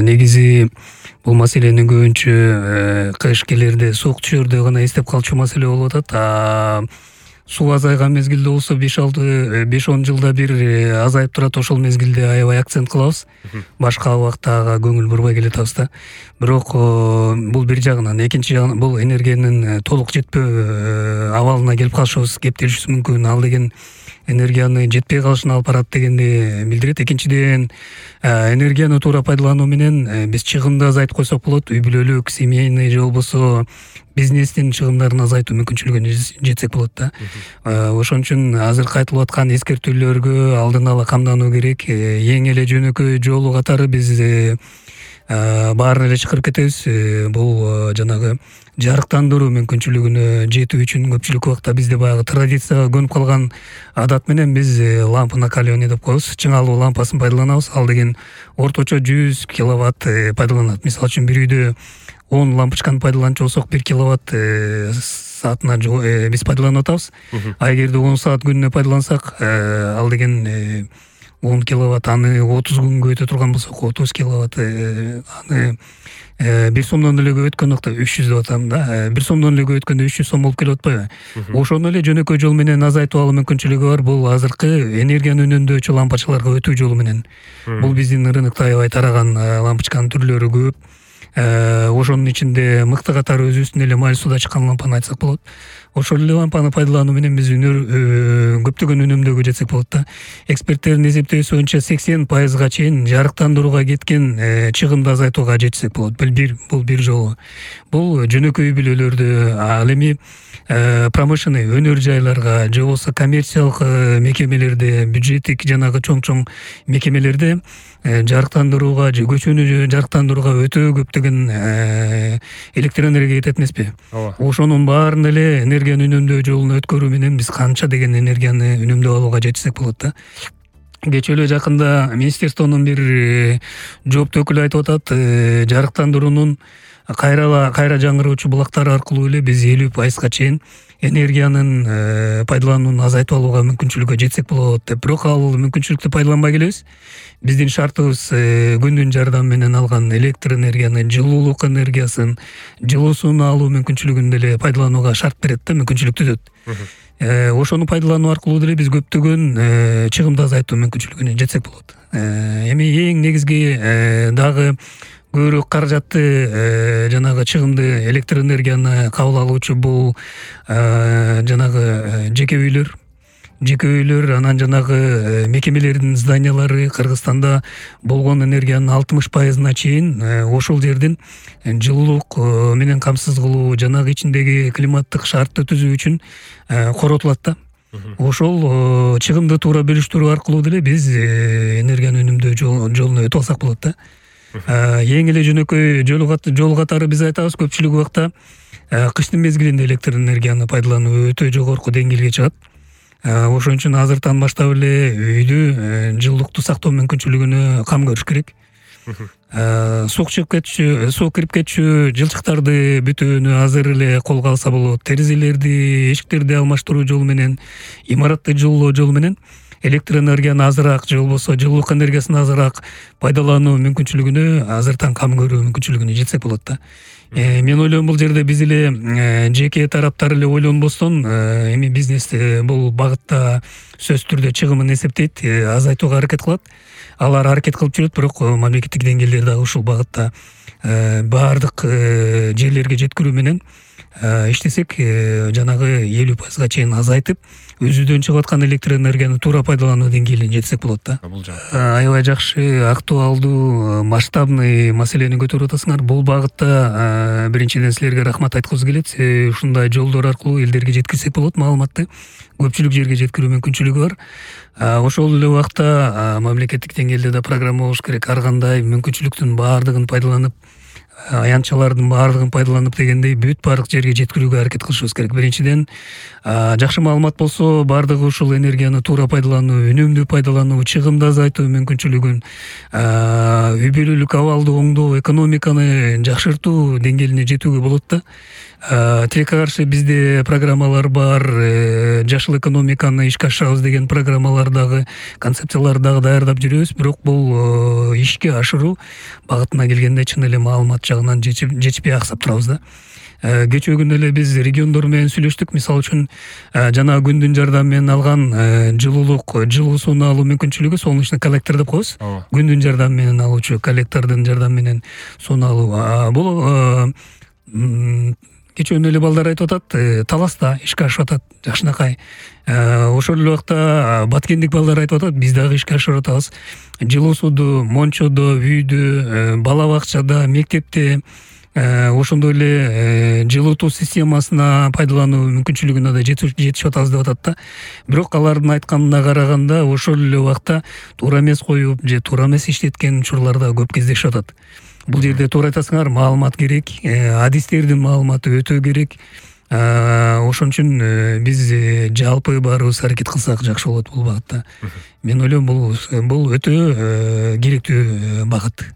Негизи бул маселени көбүнчө кышкелерде суук түшөрдө гана эстеп калчу маселе болуп атат. Суу азайган мезгилде болсо 5-10 жылда бир азайып турат. Ошол мезгилде аябай акцент кылабыз. Башка убакта ага көңүл бурбай келатабыз да. Бирок бул бир жагынан, экинчи жагынан бул энергиянын толук жетпөө абалына келип калышыбыз кептелишибиз мүмкүн. Ал деген энергияны жетпей калышына алып барат дегенди билдирет. Экинчиден, энергияны туура пайдалануу менен биз чыгымды азайтып койсок болот. Үй бүлөлүк, семейный же болбосо бизнестин чыгымдарын азайтуу мүмкүнчүлүгүнө жетсек болот да. Ошон үчүн азыркы айтылып аткан эскертүүлөргө алдын ала камдануу керек. Эң эле жөнөкөй жолу катары биз баарын эле чакырып кетебиз. Бул жанагы жарыктандыруу мүмкүнчүлүгүнө жетүү үчүн көпчүлүк убакта бизде баягы традицияга көнүп калган адат менен биз лампа накаливание деп коебуз. Чыңалуу лампасын пайдаланабыз. Ал деген орточо 100 киловатт пайдаланат. Мисалы үчүн бир үйдө 10 лампочканы пайдаланчу болсок 1 киловатт саатына биз пайдаланып атабыз. А эгерде 10 саат күнүнө пайдалансак, ал деген 10 киловатт аны 30 күнгө өтө турган болсок 30 киловатт аны 1 сомдон эле көп өткөн убакта 300 деп атам да. 1 сомдон эле көп өткөндө 300 сом болуп келип атпайбы? Ошону эле жөнөкөй жол менен азайтып алуу мүмкүнчүлүгү бар. Бул азыркы энергияны үнөмдөөчү лампочкаларга өтүү жолу менен. Бул биздин рынокто аябай тараган лампочканын түрлөрү көп. Ошонун ичинде мыкты катары өзүбүздүн эле май сууда чыккан лампаны айтсак болот. Ошол эле лампаны пайдалануу менен биз көптөгөн үнөмдөөгө жетсек болот да. Эксперттердин эсептөөсү боюнча 80% чейин жарыктандырууга кеткен чыгымды азайтууга жетсек болот. Бул бир жолу. Бул жөнөкөй үй бүлөлөрдө, ал эми промышленный өнөр жайларга же болбосо коммерциялык мекемелерде, бюджеттик жанагы чоң мекемелерде жарыктандырууга же көчөнү жарыктандырууга өтө көптөгөн электроэнергия кетет эмеспи? Ошонун баарын эле энергияны үнөмдөө жолуна өткөрүү менен биз канча деген энергияны үнөмдөп алууга жетсек болот да. Кечээ эле жакында министерствонун бир жооптуу өкүлү айтып атат, жарыктандыруунун кайра жаңыруучу булактары аркылуу эле биз 50% чейин энергиянын пайдаланууну азайтып алууга мүмкүнчүлүккө жетсек болот деп. Бирок ал мүмкүнчүлүктү пайдаланбай келебиз. Биздин шартыбыз күндүн жардамы менен алган электр энергияны, жылуулук энергиясын, жылуусун алуу мүмкүнчүлүгүн деле пайдаланууга шарт берет да, мүмкүнчүлүк түзөт. Ошону пайдалануу аркылуу деле биз көптөгөн чыгымды азайтуу мүмкүнчүлүгүнө жетсек болот. Эми эң негизги дагы көбүрөөк каражатты жанагы чыгымды электр энергияны кабыл алуучу бул жанагы жеке үйлөр, анан жанагы мекемелердин зданиялары. Кыргызстанда болгон энергиянын 60%-на чейин ошол жердин жылуулук менен камсыз кылуу, жанагы ичиндеги климаттык шартты түзүү үчүн коротулат да. Ошол чыгымды туура бөлүштүрүү аркылуу деле биз энергияны үнөмдөө жолуна өтүп алсак болот да. Эң эле жөнөкөй жол катары биз айтабыз, көпчүлүк убакта кыштын мезгилинде электр энергияны пайдалануу өтө жогорку деңгээлге чыгат. Ошон үчүн азыртан баштап эле үйдү жылуулукту сактоо мүмкүнчүлүгүнө кам көрүш керек. Суу кирип кетчү жылчыктарды бүтөөнү азыр эле колго алса болот. Терезелерди, эшиктерди алмаштыруу жолу менен, имаратты жылуулоо жолу менен электр энергияны азыраак же болбосо жылуулук энергиясын азыраак пайдалануу мүмкүнчүлүгүнө азыртан кам көрүү мүмкүнчүлүгүнө жетсек болот да. Мен ойлойм бул жерде биз эле жеке тараптар эле ойлонбостон эми бизнес бул багытта сөзсүз түрдө чыгымын эсептейт, азайтууга аракет кылат. Алар аракет кылып жүрөт, бирок мамлекеттик деңгээлде дагы ушул багытта баардык жерлерге жеткирүү менен иштесек, жанагы 50% чейин азайтып, өзүдөн чыгып аткан электр энергияны туура пайдалануу деңгээлине жетсек болот да. Аябай жакшы, актуалдуу, масштабный маселени көтөрүп атасыңар. Бул багытта биринчиден силерге рахмат айткыбыз келет. Ушундай жолдор аркылуу элдерге жеткирсек болот маалыматты. Көпчүлүк жерге жеткирүү мүмкүнчүлүгү бар. Ошол эле убакта мамлекеттик деңгээлде да программа болуш керек. Ар кандай мүмкүнчүлүктүн баардыгын пайдаланып аянтчалардын баардыгын пайдаланып дегендей бүт баардык жерге жеткирүүгө аракет кылышыбыз керек. Биринчиден жакшы маалымат болсо баардыгы ушул энергияны туура пайдалануу, үнөмдүү пайдалануу, чыгымды азайтуу мүмкүнчүлүгүн, үй бүлөлүк абалды оңдоо, экономиканы жакшыртуу деңгээлине жетүүгө болот да. Тилекке каршы бизде программалар бар, жашыл экономиканы ишке ашырабыз деген программалар дагы, концепциялар дагы даярдап жүрөбүз, бирок бул ишке ашыруу багытына келгенде чын эле маалымат жагынан жетишпей аксап турабыз да. Кечээ күнү эле биз региондор менен сүйлөштүк. Мисалы үчүн жана күндүн жардамы менен алган жылуу сууну алуу мүмкүнчүлүгү солнечный коллектор деп коебуз. Күндүн жардамы менен алуучу коллектордун жардамы менен сууну алуу. Бул кечээ күнү эле балдар айтып атат, таласта ишке ашып атат жакшынакай. Ошол эле убакта баткендик балдар айтып атат, биз дагы ишке ашырып атабыз. Жылуу сууду мончодо, үйдө, бала бакчада, мектепте, ошондой эле жылытуу системасына пайдалануу мүмкүнчүлүгүнө да жетишип атабыз деп атат да. Бирок алардын айтканына караганда ошол эле убакта туура эмес коюп же туура эмес иштеткен учурлар да көп кездешип атат. Бул жерде туура айтасыңар, маалымат керек, адистердин маалыматы өтө керек. Ошон үчүн биз жалпы баарыбыз аракет кылсак жакшы болот бул багытта. Мен ойлойм, бул өтө керектүү багыт.